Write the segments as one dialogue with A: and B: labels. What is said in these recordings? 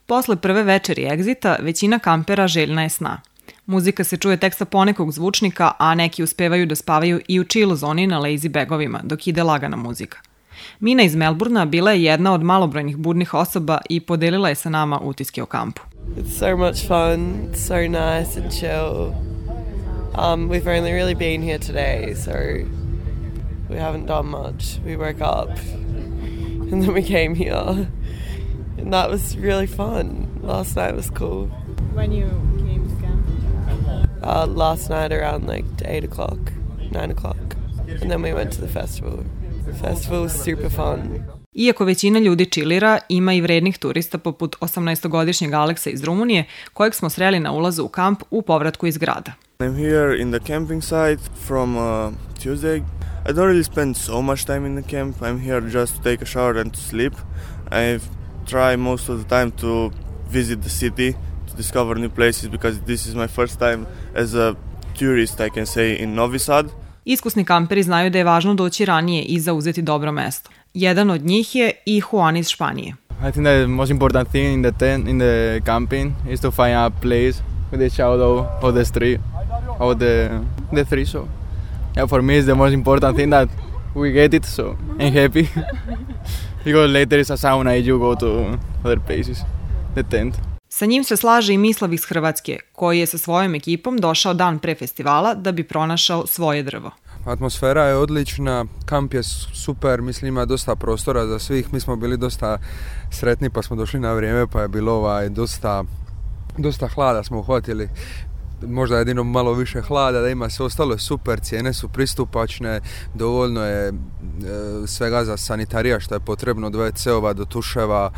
A: Posle prve večeri egzita, većina kampera željna je sna. Muzika se čuje tek sa ponekog zvučnika, a neki uspevaju da spavaju i u chill zoni na lazy bagovima, dok ide lagana muzika. Mina iz Melburna bila je jedna od malobrojnih budnih osoba i podelila je sa nama utiske o kampu.
B: It's so much fun, it's so nice and chill. We've only really been here today, so we haven't done much. We woke up and then we came here and that was really fun. Last night was cool.
A: When you came to camp?
B: Last night around like 8 o'clock, 9 o'clock. And then we went to the festival. The festival was super fun.
A: Iako većina ljudi chillira, ima i vrednih turista poput 18-godišnjeg Aleksa iz Rumunije, kojeg smo sreli na ulazu u kamp u povratku iz grada.
C: I'm here in the camping site from Tuesday. I don't really spend so much time in the camp. I'm here just to take a shower and to sleep. I try most of the time to visit the city, to discover new places because this is my first time as a tourist, I can say, in Novi Sad.
A: Iskusni kamperi znaju da je važno doći ranije i zauzeti dobro mesto. Jedan od njih je i Juan iz Španije.
D: I think the most important thing in the tent, in the camping, is to find a place with the shadow of the street, of the tree. So, yeah, for me, it's the most important thing that we get it. So I'm happy because later it's a sauna and you go to other places. The tent.
A: Sa njim se slaže i Mislav iz Hrvatske, koji je sa svojom ekipom došao dan pre festivala da bi pronašao svoje drvo.
E: Atmosfera je odlična, kamp je super, mislim ima dosta prostora za svih, mi smo bili dosta sretni pa smo došli na vrijeme pa je bilo dosta hlada smo uhvatili, možda jedino malo više hlada da ima, sve ostalo je super, cijene su pristupačne, dovoljno je svega za sanitarija što je potrebno, od WC-ova do tuševa,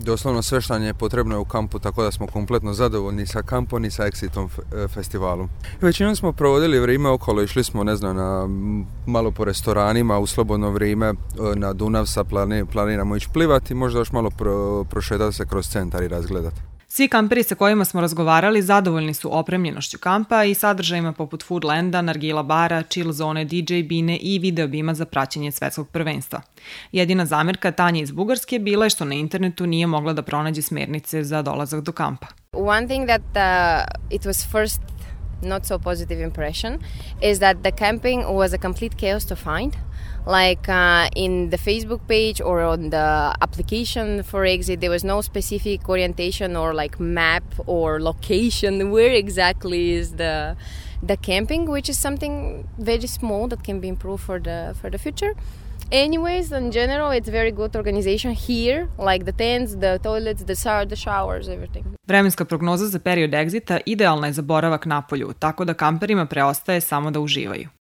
E: doslovno sve što je potrebno je u kampu, tako da smo kompletno zadovoljni sa kampom i sa Exitom festivalom. Većinom smo provodili vrijeme okolo, išli smo malo po restoranima, u slobodno vrijeme na Dunav sa planiramo ići plivati, možda još malo prošetati se kroz centar i razgledati.
A: Svi kamperi sa kojima smo razgovarali zadovoljni su opremljenošću kampa i sadržajima poput Foodlanda, nargila bara, chill zone, DJ bine i video bima za praćenje svetskog prvenstva. Jedina zamerka Tanje iz Bugarske bila je što na internetu nije mogla da pronađe smernice za dolazak do kampa.
F: One thing that it was first not so positive impression is that the camping was a complete chaos to find. Like in the Facebook page or on the application for Exit, there was no specific orientation or like map or location where exactly is the camping, which is something very small that can be improved for the future. Anyways, in general, it's very good organization here, like the tents, the toilets, the showers, everything.
A: Vremenska prognoza za period Exita idealna je za boravak napolju, tako da kamperima preostaje samo da uživaju.